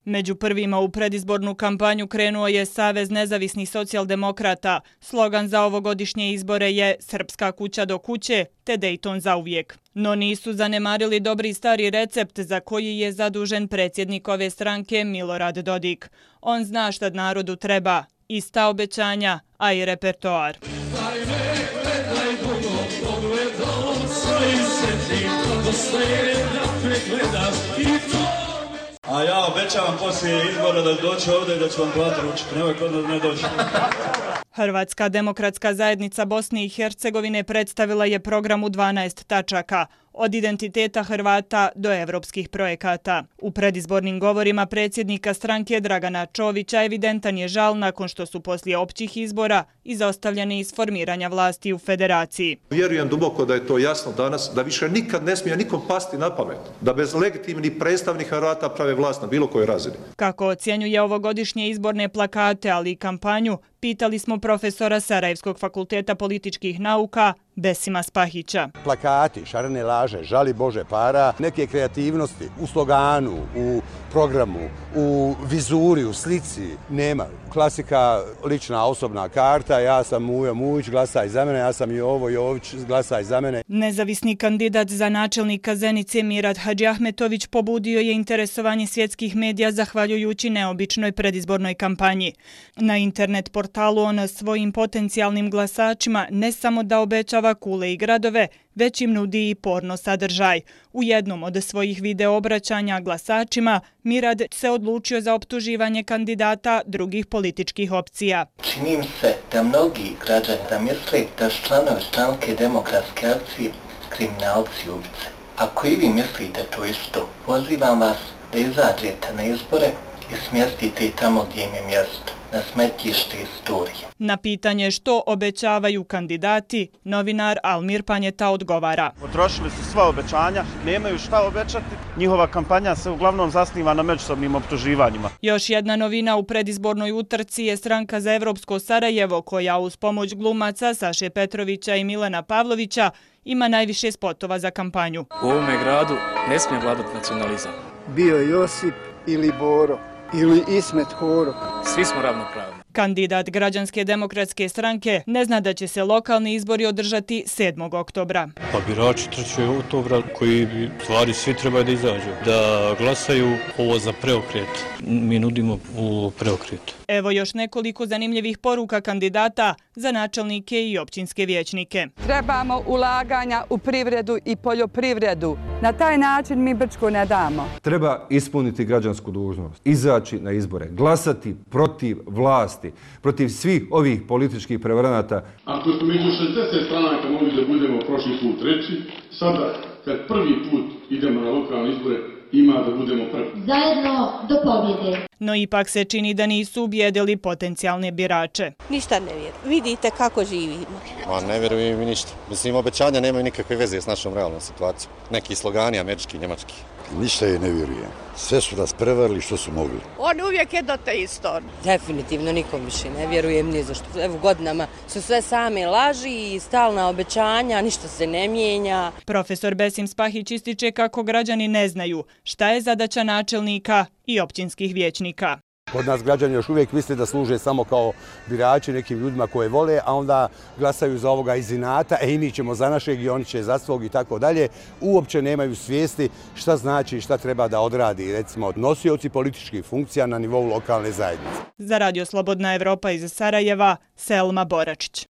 Među prvima u predizbornu kampanju krenuo je Savez nezavisnih socijaldemokrata. Slogan za ovogodišnje izbore je Srpska kuća do kuće te Dejton zauvijek. No nisu zanemarili dobri stari recept za koji je zadužen predsjednik ove stranke Milorad Dodik. On zna šta narodu treba, ista obećanja, a i repertoar. A ja obećavam poslije izbora da doći ovdje i da ću vam platiti ručak. Nemoj kod nas ne doći. Hrvatska demokratska zajednica Bosne i Hercegovine predstavila je program u 12 tačaka, od identiteta Hrvata do evropskih projekata. U predizbornim govorima predsjednika stranke Dragana Čovića evidentan je žal nakon što su poslije općih izbora izostavljeni iz formiranja vlasti u federaciji. Vjerujem duboko da je to jasno danas, da više nikad ne smije nikom pasti na pamet, da bez legitimnih predstavnih Hrvata prave vlast na bilo kojoj razini. Kako ocjenjuje ovogodišnje izborne plakate, ali i kampanju, pitali smo profesora Sarajevskog fakulteta političkih nauka Besima Spahića. Plakati, šarene laže, žali Bože para, neke kreativnosti u sloganu, u programu, u vizuri, u slici nema. Klasika, lična osobna karta, ja sam Mujo Mujić, glasaj za mene, ja sam Jovo Jović, glasaj za mene. Nezavisni kandidat za načelnika Zenice Mirat Hadžiahmetović pobudio je interesovanje svjetskih medija zahvaljujući neobičnoj predizbornoj kampanji. Na internet portalu on svojim potencijalnim glasačima ne samo da obećava kule i gradove, već im nudi i porno sadržaj. U jednom od svojih video obraćanja glasačima Mirad se odlučio za optuživanje kandidata drugih političkih opcija. Čini mi se da mnogi građani da misle da su članovi stranke Demokratske akcije kriminalci i ubice. Ako i vi mislite to isto, pozivam vas da izađete na izbore i smjestite tamo gdje im je mjesto, na smetlište istorije. Na pitanje što obećavaju kandidati, novinar Almir Panjeta odgovara. Potrošili su sva obećanja, nemaju šta obećati. Njihova kampanja se uglavnom zasniva na međusobnim optuživanjima. Još jedna novina u predizbornoj utrci je Stranka za evropsko Sarajevo, koja uz pomoć glumaca Saše Petrovića i Milana Pavlovića ima najviše spotova za kampanju. U ovome gradu ne smije vladati nacionalizam. Bio Josip ili Boro ili Ismet Horo. Svi smo ravnopravni. Kandidat Građanske demokratske stranke ne zna da će se lokalni izbori održati 7. oktobra. Pa birači 3. oktobra koji bi stvari svi trebaju da izađu, da glasaju ovo za preokret. Mi nudimo u preokret. Evo još nekoliko zanimljivih poruka kandidata za načelnike i općinske vijećnike. Trebamo ulaganja u privredu i poljoprivredu. Na taj način mi Brčko ne damo. Treba ispuniti građansku dužnost, izaći na izbore, glasati protiv vlasti, protiv svih ovih političkih prevaranata. Ako smo među 60 stranaka mogli da budemo prošli put treći, sada kad prvi put idemo na lokalne izbore, ima da budemo prvi. Zajedno do pobjede. No ipak se čini da nisu ubijedili potencijalne birače. Ništa ne vjerujem. Vidite kako živimo. Ne vjerujem mi ništa. Mislim, obećanja nemaju nikakve veze s našom realnom situacijom. Neki slogani, američki, njemački. Ništa je ne vjerujem. Sve su nas prevarili što su mogli. On uvijek je do te isto. Definitivno nikom više ne vjerujem ni za što. Evo godinama su sve same laži i stalna obećanja, ništa se ne mijenja. Profesor Besim Spahić ističe kako građani ne znaju šta je zadaća načelnika i općinskih vijećnika. Kod nas građani još uvijek misle da služe samo kao birači nekim ljudima koje vole, a onda glasaju za ovoga iz inata, i mi ćemo za našeg i oni će za svog i tako dalje. Uopće nemaju svijesti šta znači i šta treba da odradi, recimo, nosioci političkih funkcija na nivou lokalne zajednice. Za Radio Slobodna Evropa iz Sarajeva, Selma Boračić.